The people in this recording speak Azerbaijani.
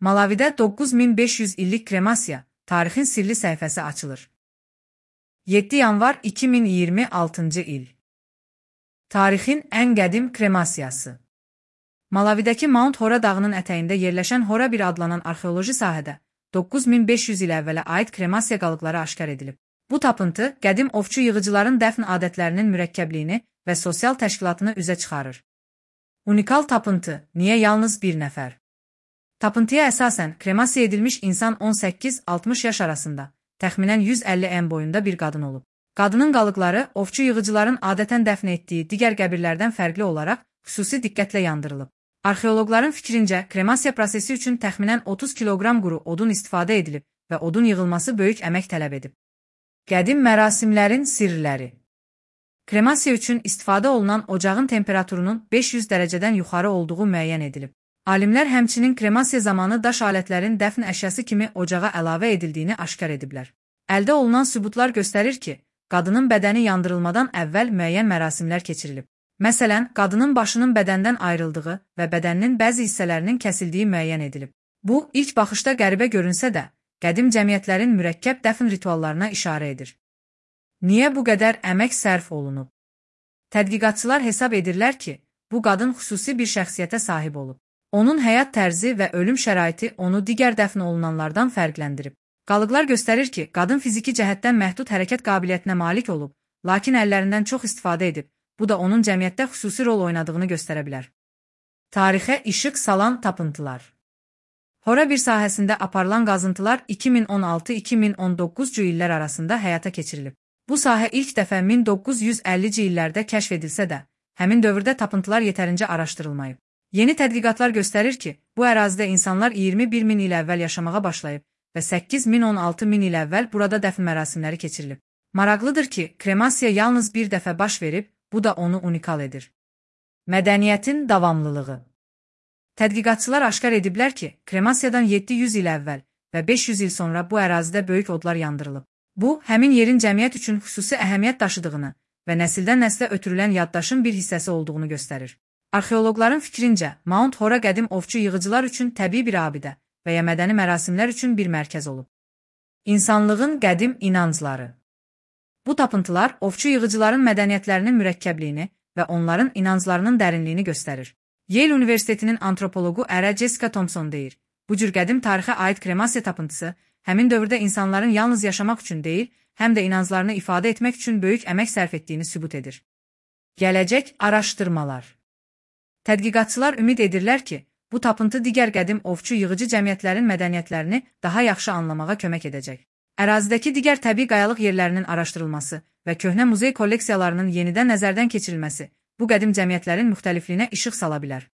Malavidə 9500 illik kremasiya, tarixin sirli səhifəsi açılır. 7 yanvar 2026-cı il. Tarixin ən qədim kremasiyası. Malavidəki Mount Hora dağının ətəyində yerləşən Hora 1 adlanan arxeoloji sahədə 9500 il əvvələ aid kremasiya qalıqları aşkar edilib. Bu tapıntı qədim ovçu yığıcıların dəfn adətlərinin mürəkkəbliyini və sosial təşkilatını üzə çıxarır. Unikal tapıntı, niyə yalnız bir nəfər? Tapıntıya əsasən kremasiya edilmiş insan 18-60 yaş arasında, təxminən 150 en boyunda bir qadın olub. Qadının qalıqları ovçu yığıcıların adətən dəfn etdiyi digər qəbirlərdən fərqli olaraq xüsusi diqqətlə yandırılıb. Arxeologların fikrincə, kremasiya prosesi üçün təxminən 30 kiloqram quru odun istifadə edilib və odun yığılması böyük əmək tələb edib. Qədim mərasimlərin sirləri. Kremasiya üçün istifadə olunan ocağın temperaturunun 500 dərəcədən yuxarı olduğu müəyyən edilib. Alimlər həmçinin kremasiya zamanı daş alətlərin dəfn əşyası kimi ocağa əlavə edildiyini aşkar ediblər. Əldə olunan sübutlar göstərir ki, qadının bədəni yandırılmadan əvvəl müəyyən mərasimlər keçirilib. Məsələn, qadının başının bədəndən ayrıldığı və bədəninin bəzi hissələrinin kəsildiyi müəyyən edilib. Bu, ilk baxışda qəribə görünsə də, qədim cəmiyyətlərin mürəkkəb dəfn rituallarına işarə edir. Niyə bu qədər əmək sərf olunub? Tədqiqatçılar hesab edirlər ki, bu qadın xüsusi bir şəxsiyyətə sahib olub. Onun həyat tərzi və ölüm şəraiti onu digər dəfn olunanlardan fərqləndirib. Qalıqlar göstərir ki, qadın fiziki cəhətdən məhdud hərəkət qabiliyyətinə malik olub, lakin əllərindən çox istifadə edib. Bu da onun cəmiyyətdə xüsusi rol oynadığını göstərə bilər. Tarixə işıq salan tapıntılar. Hora 1 sahəsində aparılan qazıntılar 2016-2019-cu illər arasında həyata keçirilib. Bu sahə ilk dəfə 1950-ci illərdə kəşf edilsə də, həmin dövrdə tapıntılar yetərincə araşdırılmayıb. Yeni tədqiqatlar göstərir ki, bu ərazidə insanlar 21 min il əvvəl yaşamağa başlayıb və 8-16 min il əvvəl burada dəfn mərasimləri keçirilib. Maraqlıdır ki, kremasiya yalnız bir dəfə baş verib, bu da onu unikal edir. Mədəniyyətin davamlılığı. Tədqiqatçılar aşkar ediblər ki, kremasiyadan 700 il əvvəl və 500 il sonra bu ərazidə böyük odlar yandırılıb. Bu, həmin yerin cəmiyyət üçün xüsusi əhəmiyyət daşıdığını və nəsildən nəslə ötürülən yaddaşın bir hissəsi olduğunu göstərir. Arxeoloqların fikrincə, Mount Hora qədim ovçu yığıcılar üçün təbii bir abidə və ya mədəni mərasimlər üçün bir mərkəz olub. İnsanlığın qədim inancları. Bu tapıntılar ovçu yığıcıların mədəniyyətlərinin mürəkkəbliyini və onların inanclarının dərinliyini göstərir. Yale Universitetinin antropologu ərə Jessica Thompson deyir, bu cür qədim tarixə aid kremasiya tapıntısı həmin dövrdə insanların yalnız yaşamaq üçün deyil, həm də inanclarını ifadə etmək üçün böyük əmək sərf etdiyini sübut edir. Gələcək araşdırmalar. Tədqiqatçılar ümid edirlər ki, bu tapıntı digər qədim ovçu yığıcı cəmiyyətlərin mədəniyyətlərini daha yaxşı anlamağa kömək edəcək. Ərazidəki digər təbii qayalıq yerlərinin araşdırılması və köhnə muzey kolleksiyalarının yenidən nəzərdən keçirilməsi bu qədim cəmiyyətlərin müxtəlifliyinə işıq sala bilər.